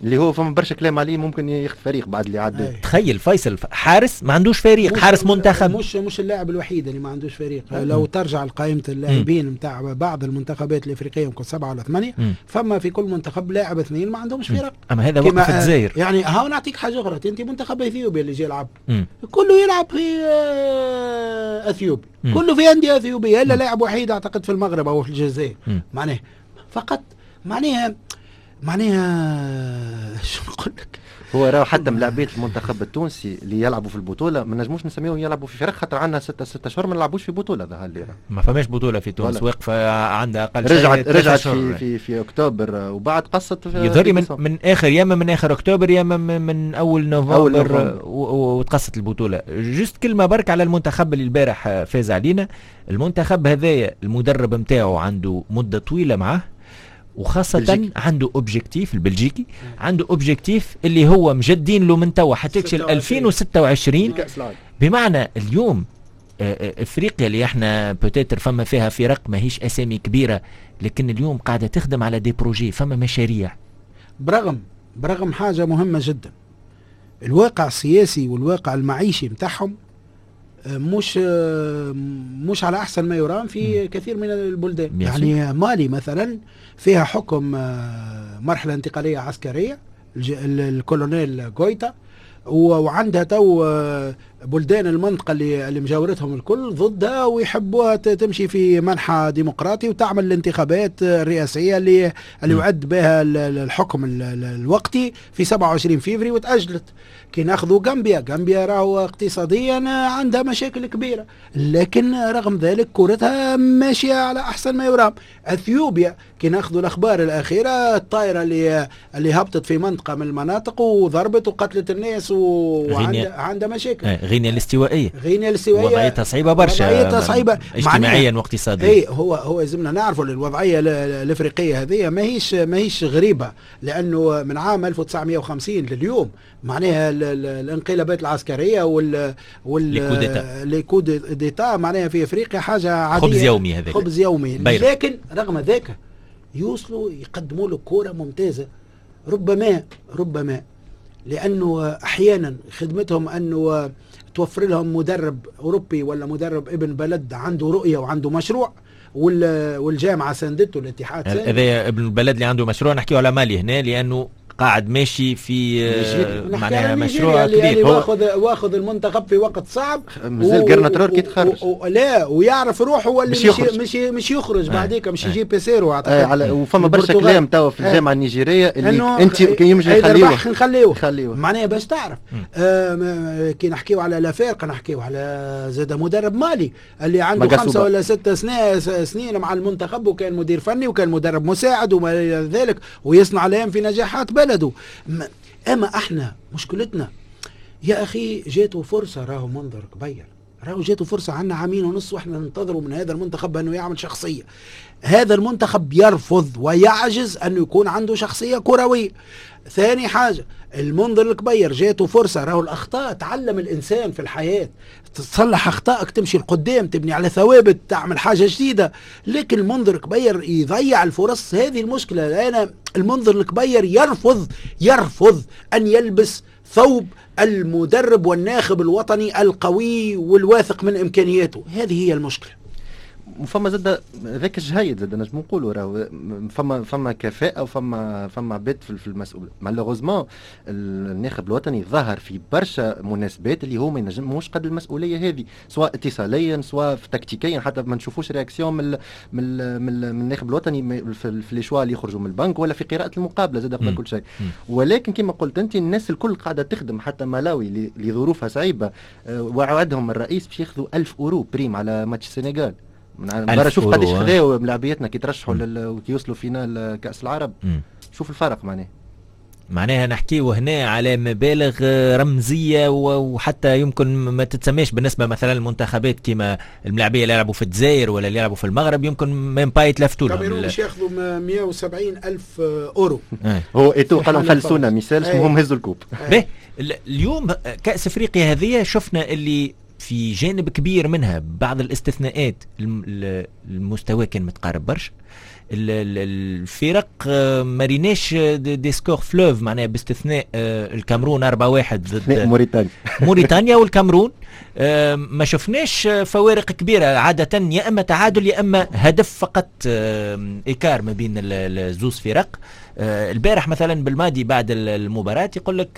اللي هو فما برشا كلام عليه ممكن ياخذ فريق بعد اللي عدى. تخيل فيصل حارس ما عندوش فريق، حارس منتخب. مش اللاعب الوحيد اللي ما عندوش فريق. لو ترجع لقائمة اللاعبين نتاع بعض المنتخبات الافريقية يمكن 7 ولا 8، فما في كل منتخب لاعب 2 ما عندهمش فرق. اما هذا وقف الجزائر يعني. هاو نعطيك حاجة اخرى، انت منتخب اثيوبيا اللي جاي يلعب كله يلعب في اثيوبيا، كله في اندية اثيوبيه الا لاعب وحيد اعتقد في المغرب او في الجزائر. معناه فقط معناها شو نقول لك، هو راه حتى ملاعبيه المنتخب التونسي اللي يلعبوا في البطولة ما نجموش نسميهم يلعبوا في فرق، خاطر عندنا 6 اشهر ما نلعبوش في بطوله. ظهر لي ما فماش بطوله في تونس واقفة عندها اقل شيء. رجعت في اكتوبر وبعد قصت يظهر من اخر يا من اخر اكتوبر يا من اول نوفمبر وتقصت البطولة. juste كلمة برك على المنتخب اللي البارح فاز علينا. المنتخب هذايا المدرب نتاعو عنده مده طويلة معاه، وخاصة بلجيكي. عنده objectif البلجيكي، عنده objectif اللي هو مجدين له من توا حتى 2026. بمعنى اليوم افريقيا اللي احنا peut-être فما فيها فرق ماهيش اسامي كبيرة، لكن اليوم قاعدة تخدم على des projets، فما مشاريع. برغم حاجة مهمة جدا، الواقع السياسي والواقع المعيشي متاعهم مش على احسن ما يرام في كثير من البلدان. يعني مالي مثلا فيها حكم مرحلة انتقالية عسكرية الكولونيل غويتا، وعندها تو بلدان المنطقة اللي مجاورتهم الكل ضدها ويحبوها تمشي في منحى ديمقراطي وتعمل الانتخابات الرئاسية اللي وعد بها الحكم الوقتي في 27 فيفري وتأجلت. كي ناخذوا غامبيا راهو اقتصاديا عندها مشاكل كبيرة، لكن رغم ذلك كرتها ماشية على أحسن ما يرام. أثيوبيا كي ناخذوا الأخبار الأخيرة، الطائرة اللي هبطت في منطقة من المناطق وضربت وقتلت الناس وعندها مشاكل. غينيا الاستوائية وضعيتها صعيبة برشا، وضعيتها صعيبة اجتماعيا واقتصاديا. اي هو لازمنا نعرفوا الوضعية الافريقية هذه ماهيش غريبة، لأنه من عام 1950 لليوم معناها الانقلابات العسكرية وال les coups d'état معناها في افريقيا حاجة عادية، خبز يومي، هذاك خبز يومي. لكن رغم ذاك يوصلوا يقدموا له كورة ممتازة، ربما لأنه أحيانا خدمتهم أنه توفر لهم مدرب أوروبي ولا مدرب ابن بلد عنده رؤية وعنده مشروع، والجامعة ساندته، الاتحاد ساندته. هذا ابن البلد اللي عنده مشروع، نحكيه على مالي هنا لأنه قاعد ماشي في معناها مشروع كبير. يعني واخذ المنتخب في وقت صعب، مازال قرنا كي تخرج لا ويعرف روحه هو اللي مش يخرج بعديك، مش يجيب بيسيرو اعتقد. وفما برشا كلام توا في الجامعة النيجيريه اللي انت كي يمشي نخليوه معناها باش تعرف. كي نحكيو على لافارقه نحكيو على زاد مدرب مالي اللي عنده 5 ولا 6 سنين مع المنتخب، وكان مدير فني وكان مدرب مساعد وما الى ذلك، ويصنع الان في نجاحات بلده. اما احنا مشكلتنا يا اخي جاته فرصة، راهو منظر كبير، راهو جاته فرصة، عندنا 2.5 عام واحنا ننتظروا من هذا المنتخب انه يعمل شخصية. هذا المنتخب يرفض ويعجز انه يكون عنده شخصية كروية. ثاني حاجة المنظر الكبير جاته فرصة، راهو الاخطاء تعلم الانسان في الحياة، تصلح اخطائك تمشي لقدام، تبني على ثوابت، تعمل حاجة جديدة. لكن المنظر الكبير يضيع الفرص، هذه المشكلة. انا المنظر الكبير يرفض ان يلبس ثوب المدرب والناخب الوطني القوي والواثق من امكانياته، هذه هي المشكلة. وفما زاد ذاك الجهيد زاد نجم نقولوا راهو فما كفاءة وفما عباد في المسؤول. malheureusement الناخب الوطني ظهر في برشا مناسبات اللي هو ما ينجموش قد المسؤولية هذه، سواء اتصاليا سواء تكتيكيا، حتى ما نشوفوش réaction من الناخب الوطني في les choix اللي يخرجوا من البنك ولا في قراءة المقابلة زاد قبل كل شيء. ولكن كما قلت انت الناس الكل قاعدة تخدم، حتى ملاوي اللي ظروفها صعيبة وعدهم الرئيس باش ياخذوا 1000 اورو prime على ماتش السنغال. برا شوف قداش خذاو ملاعبيتنا كي ترشحوا وكي يوصلوا finale كاس العرب. شوف الفرق معناها نحكيو هنا على مبالغ رمزية، وحتى يمكن ما تتسميش بالنسبة مثلا المنتخبات كيما الملاعبيه اللي يلعبوا في الجزائر ولا اللي يلعبوا في المغرب، يمكن même pas يتلفتوا لهم. الكاميرون باش ياخذوا 170 ألف أورو. هو ايتو قالوا فلسونا ميسالش، المهم هزوا ال coupe. به اليوم كأس افريقيا هذه شفنا اللي في جانب كبير منها بعض الاستثناءات المستوى كان متقارب برشا، الفرق ما ريناش des scores fleuves، معناها باستثناء الكاميرون 4-1 ضد موريتانيا والكاميرون ما شفناش فوارق كبيرة، عادة يا اما تعادل يا اما هدف فقط écart ما بين الزوز فرق. البارح مثلا بالماضي بعد المباراة يقول لك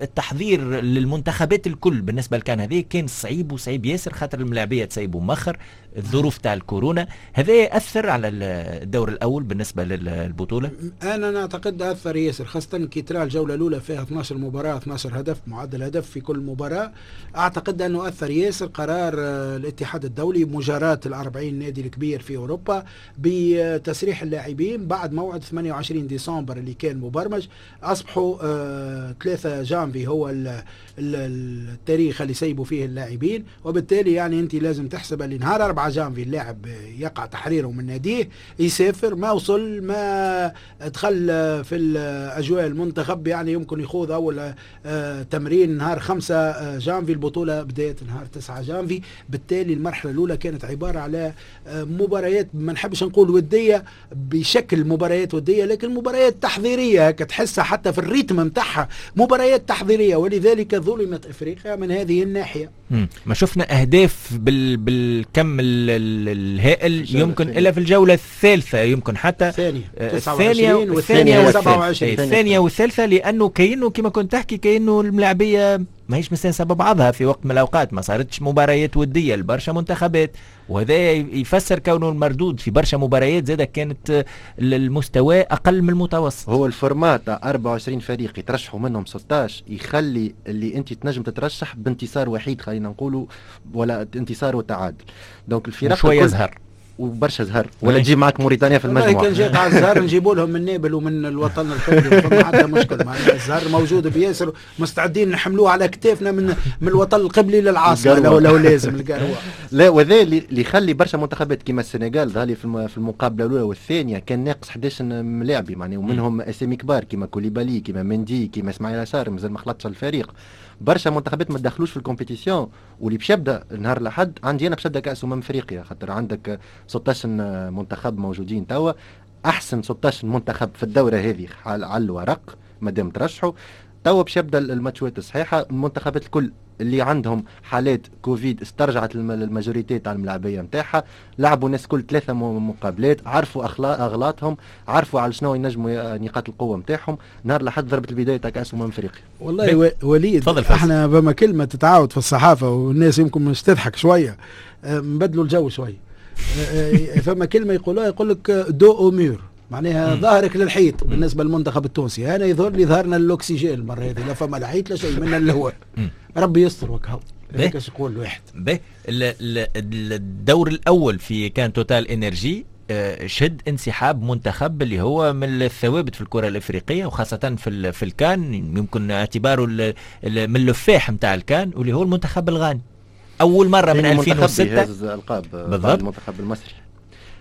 التحضير للمنتخبات الكل بالنسبة لكان هذه كان صعيب وصعيب ياسر، خاطر الملاعبية تسيبوا مخر، الظروف تاع الكورونا، هذا يأثر على الدور الأول بالنسبة للبطولة؟ أنا نعتقد أثر ياسر، خاصة كي ترى الجولة الأولى فيها 12 مباراة 12 هدف، معدل هدف في كل مباراة. أعتقد أنه أثر ياسر قرار الاتحاد الدولي مجاراة ال40 نادي الكبير في أوروبا بتسريح اللاعبين بعد موعد 28 ديسمبر اللي كان مبرمج، أصبحوا 3 جانفي هو التاريخ اللي سيبوا فيه اللاعبين، وبالتالي يعني أنت لازم تحسب اللي نهار 4 جانفي اللاعب يقع تحريره من ناديه، يسافر، ما وصل، ما دخل في الأجواء المنتخب، يعني يمكن يخوض أول تمرين نهار 5 جانفي، البطولة بداية نهار 9 جانفي. بالتالي المرحلة الأولى كانت عبارة على مباريات، ما نحبش نقول ودية بشكل مباريات ودية، لكن مباريات تحضيرية تحسها حتى في ال rythme متاعها مباريات تحضيرية، ولذلك ظلمت إفريقيا من هذه الناحية. ما شفنا أهداف بالكم الهائل يمكن إلا في الجولة الثالثة، يمكن حتى الثانية والثانية الثانية والثالثة، لأنه كأنه كما كنت تحكي كأنه الملاعبية ماهيش مستانسة ببعضها في وقت من الأوقات، ما صارتش مباريات ودية لبرشا منتخبات، وهذا يفسر كونه المردود في برشا مباريات زادة كانت المستوى أقل من المتوسط. هو ال format 24 فريق يترشحوا منهم 16 يخلي اللي أنت تنجم تترشح بانتصار وحيد، خلينا نقولوا، ولا انتصار وتعادل. donc الفرق شوية زهر وبرشا زهر، ولا تجيب معك موريتانيا في المجموعة. كان جات على الزهر نجيبوا لهم من نابل ومن الوطن القبلي، فما حتى مشكل، معناها الزهر موجود بياسر، مستعدين نحملوه على كتافنا من الوطن القبلي للعاصمه لو لازم القروه. لا، وذا اللي يخلي برشا منتخبات كيما السنغال ظهر لي في المقابلة الاولى والثانية كان ناقص 11 ملاعبي، معناها ومنهم اسامي كبار كيما كوليبالي، كيما مندي، كيما اسماعيل عشار، مازال ما خلطش الفريق. برشا منتخبات ما دخلوش في ال compétition، واللي باش يبدا نهار الاحد عندي انا باش يبدا كاس افريقيا، خاطر عندك 16 منتخب موجودين توا، احسن 16 منتخب في الدورة هذه على الورق مادام ترشحوا توا باش يبدا الماتشات الصحيحة. المنتخبات الكل اللي عندهم حالات كوفيد استرجعت ال majorité تاع الملاعبيه نتاعها، لعبوا الناس كل 3 مقابلات، عرفوا اغلاطهم، عرفوا على شنو ينجموا نقاط القوة نتاعهم. نهار لحد ضربه البداية تاع كاس افريقيا. والله وليد، احنا بما كلمة تتعاود في الصحافة والناس يمكن مش تضحك شوية، نبدلوا الجو شوية. فما كلمة يقولوها، يقول لك dos au mur، معناها ظهرك للحيط. بالنسبة للمنتخب التونسي انا يظهر لي ظهرنا الاكسجين المرة هذه، لا فما لا حيط لا شيء من الهواء، ربي يستر وكهو. هيك يقول الواحد. به الدور الاول في كان توتال انرجي شهد انسحاب منتخب اللي هو من الثوابت في الكره الافريقية، وخاصة في الكان، يمكن اعتباره من اللفاح نتاع الكان، واللي هو المنتخب الغاني. اول مرة من 2006 القاب بالضبط المنتخب المصري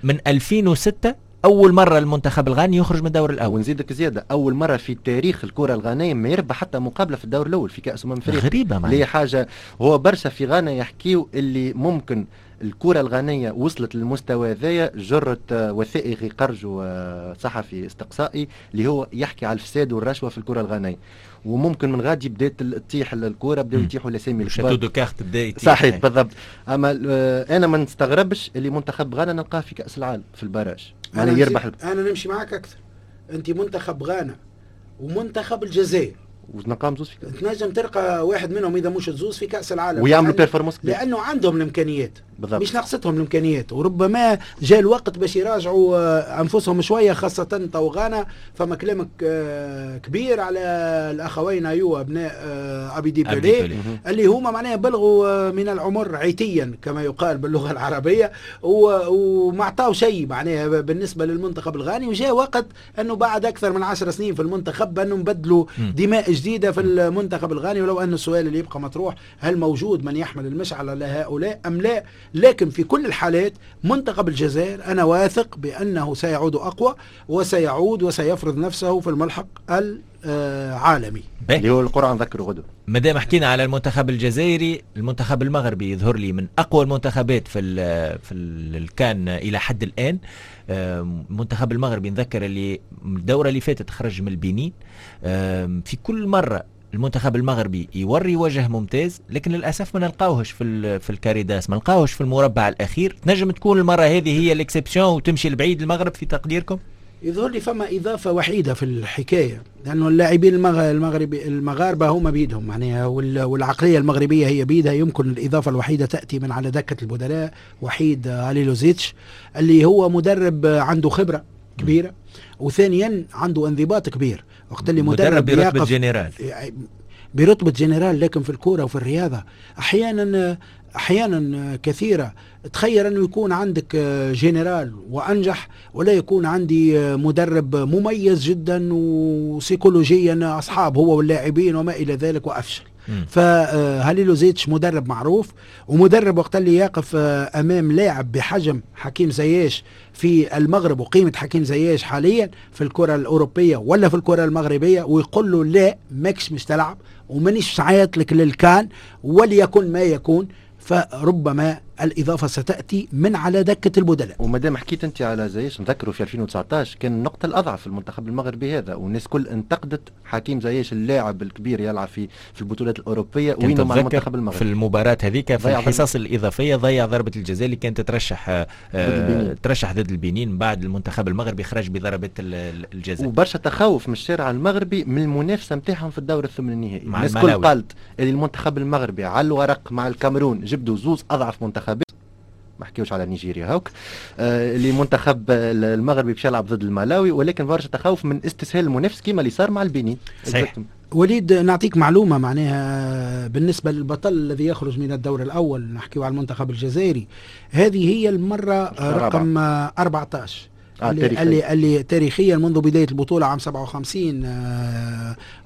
من 2006 اول مرة المنتخب الغاني يخرج من الدور الاول. ونزيدك زيادة، اول مرة في تاريخ الكره الغانيه ما يربح حتى مقابله في الدور الاول في كاس افريقيا. غريبة معناها، حاجة هو برشا في غانا يحكيو اللي ممكن الكره الغانيه وصلت للمستوى هذايا جرت وثائقي قرجوا صحفي استقصائي اللي هو يحكي على الفساد والرشوه في الكره الغانيه، وممكن من غادي بدات تطيح الكره، بداو يطيحوا الاسامي الكبار، château de cartes بدا يطيح. صحيح بالضبط. اما انا ما نستغربش اللي منتخب غانا نلقاه في كاس العالم في ال barrage، يعني يربح. انا نمشي معاك اكثر، انت منتخب غانا ومنتخب الجزائر ونقام زوز في كأس، تنجم تلقى واحد منهم اذا مش زوز في كاس العالم ويعملوا performance، لانه عندهم الامكانيات. بالضبط. مش ناقصتهم الامكانيات، وربما جاء الوقت باش يراجعوا انفسهم شوية، خاصة تو غانا. فما كلامك كبير على الاخوين ايوه ابناء ابيدي بيلي اللي هما معناها بلغوا من العمر عتيا كما يقال باللغة العربية، وما عطاو شيء معناها بالنسبة للمنتخب الغاني. وجاء وقت انه بعد اكثر من 10 سنين في المنتخب انه نبدلوا دماء جديدة في المنتخب الغاني، ولو ان السؤال اللي يبقى مطروح هل موجود من يحمل المشعل على هؤلاء ام لا. لكن في كل الحالات منتخب الجزائر انا واثق بانه سيعود اقوى، وسيعود وسيفرض نفسه في الملحق العالمي اللي هو القرعة نذكره غدوه. ما دام حكينا على المنتخب الجزائري، المنتخب المغربي يظهر لي من اقوى المنتخبات في الكان الى حد الان. المنتخب المغربي نذكر اللي الدورة اللي فاتت خرج من البنين. في كل مرة المنتخب المغربي يوري وجه ممتاز، لكن للاسف ما نلقاوهش في ال carré d'as، ما نلقاوهش في المربع الاخير. تنجم تكون المرة هذه هي l'exception وتمشي لبعيد المغرب في تقديركم؟ يظهر لي فما إضافة وحيدة في الحكاية، لأنه اللاعبين المغاربة هما بيدهم معناها، والعقلية المغربية هي بيدها. يمكن الإضافة الوحيدة تأتي من على دكة البدلاء، وحيد هاليلوزيتش اللي هو مدرب عنده خبرة كبيرة، وثانيا عنده انضباط كبير. وقت اللي مدرب برتبة جنرال، برتبة جنرال، لكن في الكورة وفي الرياضة أحيانا كثيرة تخير أنه يكون عندك جنرال وأنجح، ولا يكون عندي مدرب مميز جدا وسيكولوجيا أصحاب هو واللاعبين وما إلى ذلك وأفشل. فهاليلوزيتش مدرب معروف، ومدرب وقت اللي يقف أمام لاعب بحجم حكيم زياش في المغرب وقيمة حكيم زياش حاليا في الكرة الأوروبية ولا في الكرة المغربية، ويقول له لا ماكش مش تلعب ومانيش عيط لك للكان وليكن ما يكون، فربما الإضافة ستأتي من على دكة البدلاء. وما دام حكيت أنت على زياش، نذكره في 2019 كان النقطة الأضعف في المنتخب المغربي هذا، والناس كل انتقدت حكيم زياش اللاعب الكبير يلعب في البطولات الأوروبية وينه مع المنتخب المغربي. في المباراة هذيك في الحصص الإضافية ضيع ضربة الجزاء اللي كانت ترشح ضد البنين، بعد المنتخب المغربي خرج بضربة الجزاء. وبرشا تخوف من الشارع المغربي من المنافسة نتاعهم في الدور الثمن النهائي. الناس كل قالت اللي المنتخب المغربي على الورق مع الكاميرون جبدوا زوز أضعف منتخب، ما حكيوش على نيجيريا هوك، اللي منتخب المغربي باش يلعب ضد الملاوي، ولكن برشا تخوف من استسهال المنافس كيما اللي صار مع البنين. صحيح. وليد نعطيك معلومة معناها بالنسبة للبطل الذي يخرج من الدور الأول، نحكيو على المنتخب الجزائري، هذه هي المرة رقم 14 اللي تاريخيا منذ بداية البطولة عام 57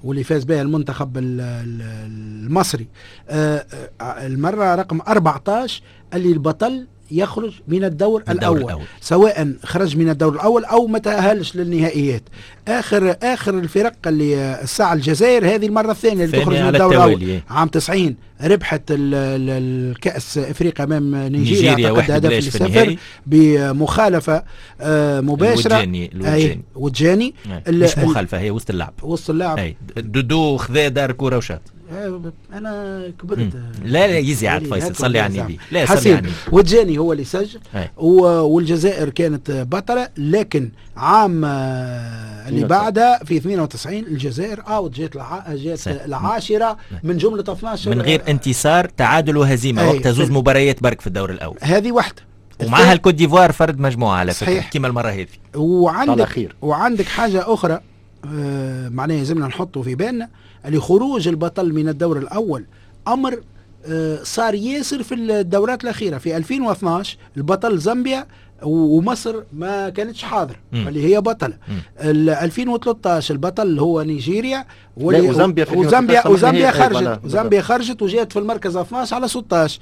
واللي فاز بها المنتخب المصري، المرة رقم 14 اللي البطل يخرج من الدور الأول، سواء خرج من الدور الأول أو ما تأهلش للنهائيات. آخر الفرق اللي الساعة الجزائر هذه المرة الثانية اللي تخرج من الدور الأول. عام 90 ربحت الكأس إفريقيا أمام نيجيريا أعتقد هدف لصفر بمخالفة مباشرة. وجاني مش مخالفة، هي وسط اللعب، وسط اللعب دودو خذا دار كورة وشاط. انا كبرت. لا لا يزي عاد فيصل، صلي على النبي. لا صلي على النبي. وجاني هو اللي سجل، والجزائر كانت بطلة. لكن عام اللي بعدها في 92 الجزائر out جات العاشرة من جملة 12 من غير انتصار، تعادل وهزيمة، وقتها زوز مباريات برك في الدور الأول. هذه واحدة، ومعها الكوت ديفوار فرد مجموعة على فكرة كيما المرة هذه. وعندك حاجة أخرى معناها لازمنا نحطه في بالنا، اللي خروج البطل من الدور الأول أمر صار ياسر في الدورات الأخيرة. في 2012 البطل زامبيا ومصر ما كانتش حاضرة اللي هي بطلة. 2013 البطل هو نيجيريا، وزامبيا خرجت، زامبيا خرجت وجات في المركز 12 على 16.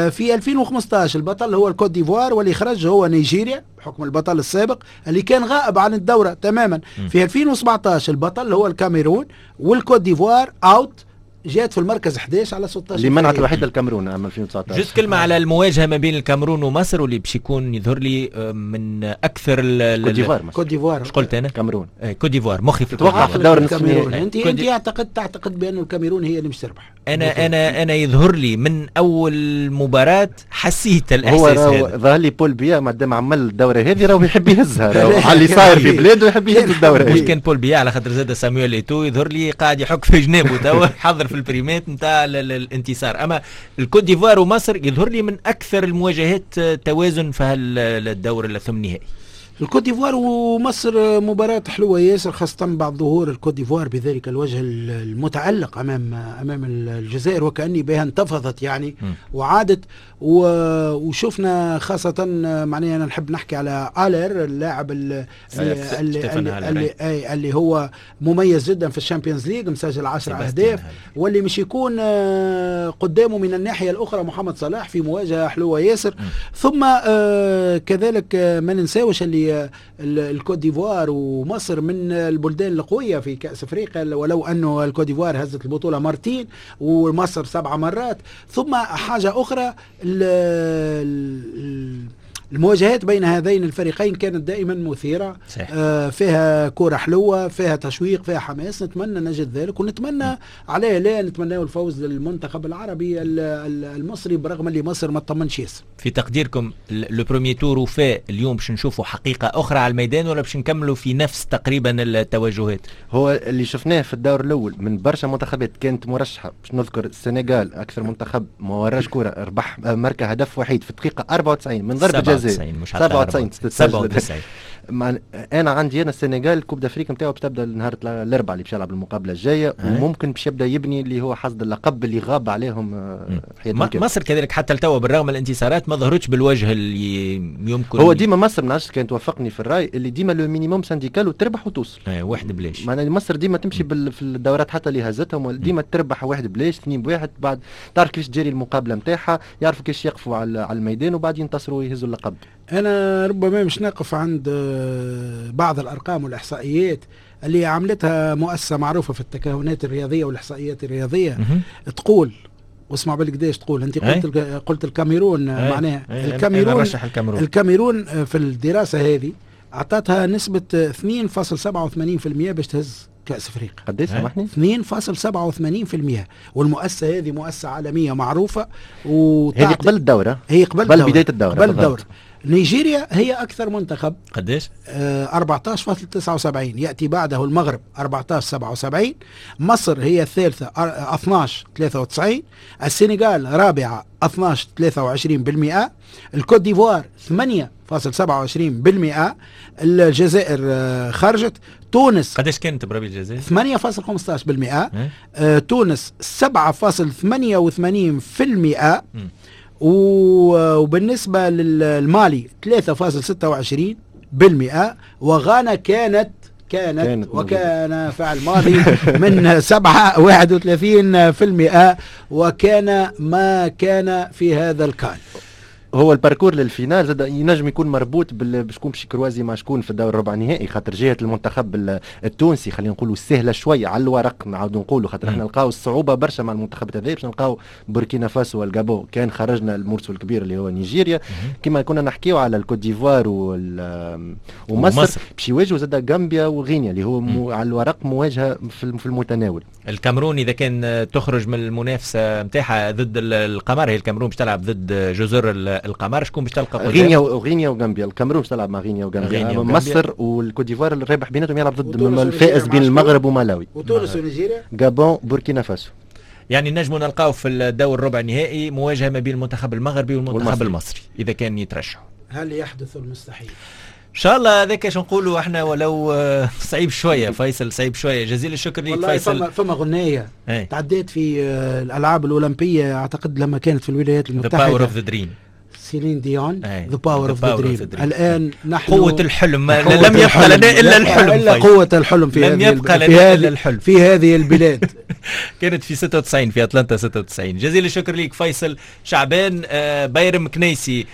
في 2015 البطل هو الكوت ديفوار واللي خرج هو نيجيريا بحكم البطل السابق اللي كان غائب عن الدورة تماما. في 2017 البطل هو الكاميرون والكوت ديفوار out، جات في المركز 11 على 16 اللي منعت الوحيدة الكاميرون عام 2019. juste كلمة على المواجهة ما بين الكاميرون ومصر واللي باش يكون يظهر لي من أكثر كوت ديفوار. اش قلت أنا؟ كاميرون. كوت ديفوار مخي في تتوقع في الدور النصف النهائي. أنت تعتقد بأن الكاميرون هي اللي مش تربح؟ أنا يظهر لي من أول مباراة حسيت الإحساس هذا. ظهر لي بول بيا ما دام عمل الدورة هذه راهو يحب يهزها، على اللي صاير في بلاده يحب يهز الدورة. مش كان بول بيا، على خاطر زاد سامويل إيتو يظهر لي قاعد يحك في جنابه توا حضر في ال prime ات نتاع الانتصار. اما الكوت ديفوار ومصر يظهر لي من اكثر المواجهات توازن في الدور الثمن نهائي. الكوت ديفوار ومصر مباراة حلوة ياسر، خاصة بعد ظهور الكوت ديفوار بذلك الوجه المتعلق امام الجزائر، وكأني بها انتفضت يعني وعادت. وشفنا خاصة معناها انا نحب نحكي على آلر اللاعب اللي هو مميز جدا في ال Champions League، مسجل 10 اهداف، واللي مش يكون قدامه من الناحية الاخرى محمد صلاح في مواجهة حلوة ياسر. ثم كذلك ما ننساوش اللي الكوت ديفوار ومصر من البلدان القوية في كأس افريقيا، ولو انه الكوت ديفوار هزت البطولة مرتين ومصر 7 مرات. ثم حاجة اخرى، المواجهات بين هذين الفريقين كانت دائما مثيرة، فيها كرة حلوة، فيها تشويق، فيها حماس. نتمنى نجد ذلك، ونتمنى عليه لا نتمنى الفوز للمنتخب العربي المصري، برغم اللي مصر ما تطمنش ياسر. في تقديركم le premier tour وفاء اليوم باش نشوفوا حقيقة أخرى على الميدان، ولا باش نكملوا في نفس تقريبا التوجهات؟ هو اللي شفناه في الدور الأول من برشا منتخبات كانت مرشحة، باش نذكر السنغال أكثر منتخب ما وراش كرة، ربح مركز هدف وحيد في الدقيقة 94 من ضربة جزاء. 97 97. انا عندي انا السنغال Coupe d'Afrique نتاعو باش تبدا نهار الاربعاء اللي باش يلعب المقابلة الجاية، وممكن باش يبدا يبني اللي هو حصد اللقب اللي غاب عليهم حياتهم. مصر كذلك حتى لتوا بالرغم من الانتصارات ما ظهرتش بالوجه اللي يمكن. هو ديما مصر ما نعرفش كان توافقني في الراي اللي ديما le minimum syndical وتربح وتوصل. واحد بلاش. معناها مصر ديما تمشي في الدورات حتى اللي هزتهم ديما تربح واحد بلاش، 2-1، بعد تعرف كيفاش تجري المقابلة نتاعها، يعرفوا كيفاش يقفوا على الميدان وبعد ينتصروا ويهزوا اللقب. أنا ربما مش نقف عند بعض الأرقام والإحصائيات اللي عملتها مؤسسة معروفة في التكهنات الرياضية والإحصائيات الرياضية. تقول، واسمع بالقداش تقول، أنت قلت الكاميرون، معناها الكاميرون في الدراسة هذه أعطتها نسبة 2.87% باش تهز كأس افريقيا. قداش سامحني؟ 2.87%. والمؤسسة هذه مؤسسة عالمية معروفة، هذه قبل الدورة، هي قبل بداية الدورة، قبل الدورة. نيجيريا هي أكثر منتخب، قداش؟ 14.79، يأتي بعده المغرب 14.77، مصر هي الثالثة 12.93، السنغال رابعة 12.23%، الكوت ديفوار 8.27%، الجزائر خرجت، تونس قداش كانت بربي الجزائر؟ 8.15%، تونس 7.88%، وبالنسبة للمالي 3.26%، وغانا كانت وكان فعل ماضي من 7.31%، وكان ما كان في هذا الكان. هو ال parcours لل finale زاد ينجم يكون مربوط بشكون باش croiser مع شكون في الدور الربع النهائي، خاطر جهة المنتخب التونسي خلينا نقولوا سهلة شوية على الورق، نعاودوا نقولوا خاطر احنا نلقاو الصعوبة برشا مع المنتخبات هذا، باش نلقاو بوركينا فاسو والغابون كان خرجنا ال morceau الكبير اللي هو نيجيريا. كما كنا نحكيو على الكوت ديفوار ومصر باش يواجهوا زاد غامبيا وغينيا اللي هو على الورق مواجهة في المتناول. الكاميرون اذا كان تخرج من المنافسة نتاعها ضد القمر، هي الكاميرون باش تلعب ضد جزر القمر، شكون باش تلقى قدام؟ غينيا وغامبيا. الكاميرون باش تلعب مع غينيا وغامبيا. مصر والكوت ديفوار الرابح بيناتهم يلعب ضد الفائز بين المغرب ومالاوي. وتونس ونيجيريا، غابون، بوركينا فاسو. يعني نجموا نلقاو في الدور الربع النهائي مواجهة ما بين المنتخب المغربي والمنتخب المصري اذا كان يترشحوا. هل يحدث المستحيل؟ ان شاء الله هذاك اش نقولوا احنا، ولو صعيب شوية فيصل، صعيب شوية. جزيل الشكر ليك فيصل. فما غنية تعديت في الالعاب الاولمبية اعتقد لما كانت في الولايات المتحدة، The Power of the Dream، سيلين ديون، The Power of the Dream. الان نحن قوة الحلم، لم يبقى لنا الا الحلم، الا قوة الحلم في لم يبقى لنا الا الحلم في هذه البلاد. كانت في 96 في اتلانتا 96. جزيل الشكر ليك فيصل شعبان. بيرم كنيسي،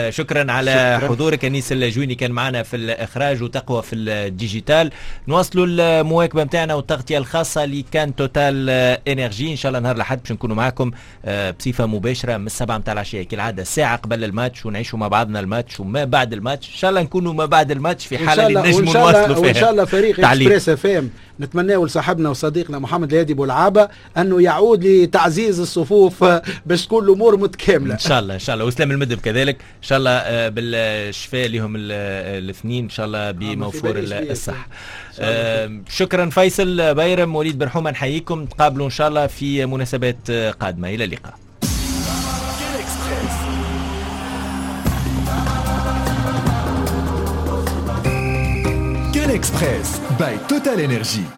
شكرا على حضورك. انيس الجويني كان معنا في الاخراج وتقوى في ال digital. نواصلوا المواكبه نتاعنا والتغطيه الخاصة ل CAN TotalEnergies. ان شاء الله نهار الاحد باش نكونوا معكم بصفة مباشرة من 7 نتاع العشية كالعادة، ساعة قبل الماتش، ونعيشوا مع بعضنا الماتش وما بعد الماتش. ان شاء الله نكونوا ما بعد الماتش في حاله اللي نجموا نواصلوا فيها. وان شاء الله فريق Express FM نتمناه لصاحبنا وصديقنا محمد الهادي بولعابد. اللعبة انه يعود لتعزيز الصفوف باش تكون الامور متكاملة ان شاء الله. ان شاء الله وسلام المدب كذلك ان شاء الله بالشفاء لهم الاثنين ان شاء الله بموفور الصحة. شكرا فيصل بيرم، وليد برحومه، نحييكم، تقابلوا ان شاء الله في مناسبات قادمة. الى اللقاء. CAN Express by TotalEnergies.